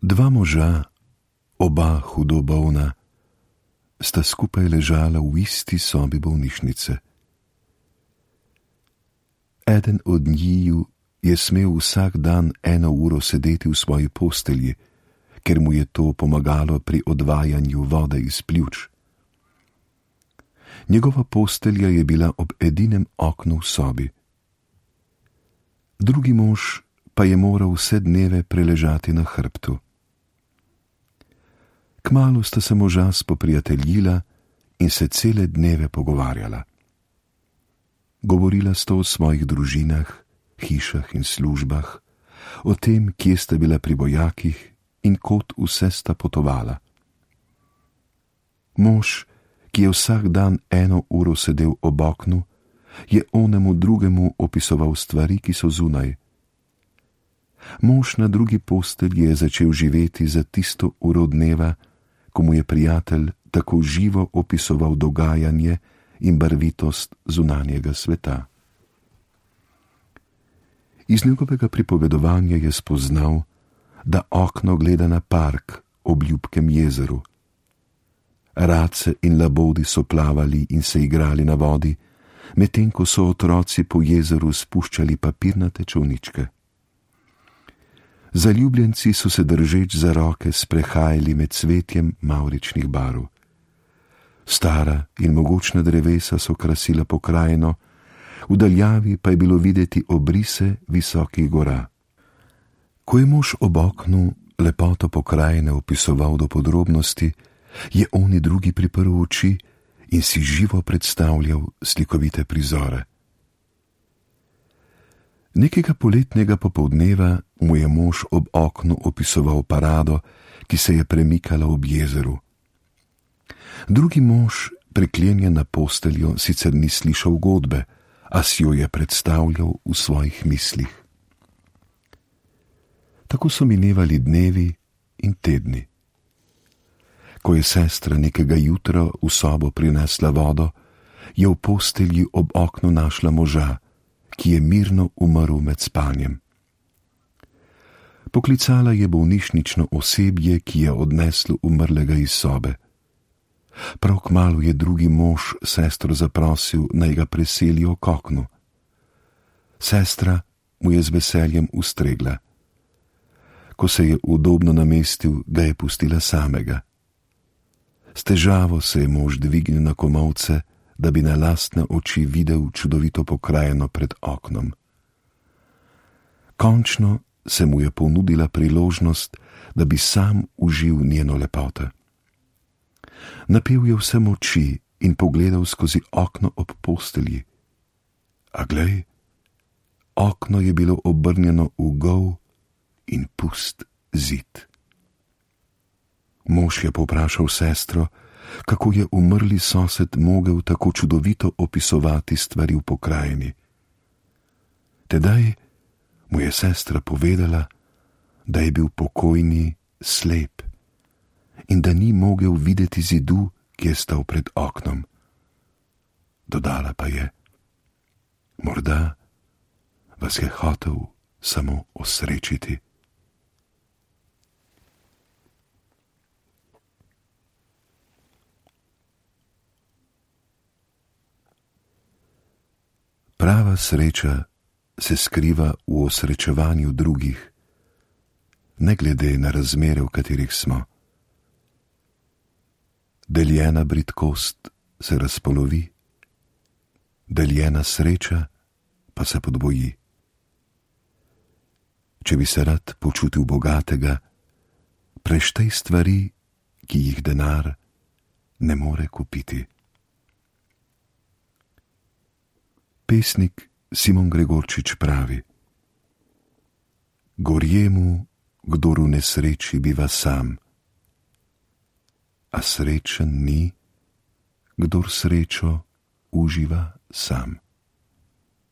Dva moža, oba hudo bolna, sta skupaj ležala v isti sobi bolnišnice. Eden od njiju je smel vsak dan 1 uro sedeti v svoji postelji, ker mu je to pomagalo pri odvajanju vode iz pljuč. Njegova postelja je bila ob edinem oknu v sobi. Drugi mož pa je moral vse dneve preležati na hrbtu. Kmalu sta se moža spoprijateljila in se cele dneve pogovarjala. Govorila sta o svojih družinah, hišah in službah, o tem, kje sta bila pri vojakih in kod vse sta potovala. Mož, ki je vsak dan 1 uro sedel ob oknu, je onemu drugemu opisoval stvari, ki so zunaj. Mož na drugi postelji je začel živeti za tisto uro dneva, ko mu je prijatelj tako živo opisoval dogajanje in barvitost zunanjega sveta. Iz njegovega pripovedovanja je spoznal, da okno gleda na park ob ljubkem jezeru. Race in labodi so plavali in se igrali na vodi, medtem ko so otroci po jezeru spuščali papirnate čolničke. Zaljubljenci so se držeč za roke sprehajali med cvetjem mavričnih barv. Stara in mogočna drevesa so krasila pokrajino, v daljavi pa je bilo videti obrise visokih gora. Ko je mož ob oknu lepoto pokrajine opisoval do podrobnosti, je oni drugi priprl oči in si živo predstavljal slikovite prizore. Nekega poletnega popoldneva mu je mož ob oknu opisoval parado, ki se je premikala ob jezeru. Drugi mož, priklenjen na posteljo, sicer ni slišal godbe, a si jo je predstavljal v svojih mislih. Tako so minevali dnevi in tedni. Ko je sestra nekega jutra v sobo prinesla vodo, je v postelji ob oknu našla moža, ki je mirno umrl med spanjem. Poklicala je bolnišnično osebje, ki je odneslo umrlega iz sobe. Prav kmalu je drugi mož sestro zaprosil, naj ga preselijo k oknu. Sestra mu je z veseljem ustregla. Ko se je udobno namestil, ga je pustila samega. S težavo se je mož dvignil na komolce, da bi na lastne oči videl čudovito pokrajino pred oknom. Končno se mu je ponudila priložnost, da bi sam užil njeno lepoto. Napel je vse moči in pogledal skozi okno ob postelji. A glej, okno je bilo obrnjeno v gol in pust zid. Mož je povprašal sestro, kako je umrli sosed mogel tako čudovito opisovati stvari v pokrajini. Tedaj mu je sestra povedala, da je bil pokojni slep in da ni mogel videti zidu, ki je stal pred oknom. Dodala pa je: morda vas je hotel samo osrečiti. Prava sreča se skriva v osrečevanju drugih, ne glede na razmere, v katerih smo. Deljena bridkost se razpolovi, deljena sreča pa se podvoji. Če bi se rad počutil bogatega, preštej stvari, ki jih denar ne more kupiti. Pesnik Simon Gregorčič pravi: gorje mu, kdor v nesreči biva sam, a srečen ni, kdor srečo uživa sam.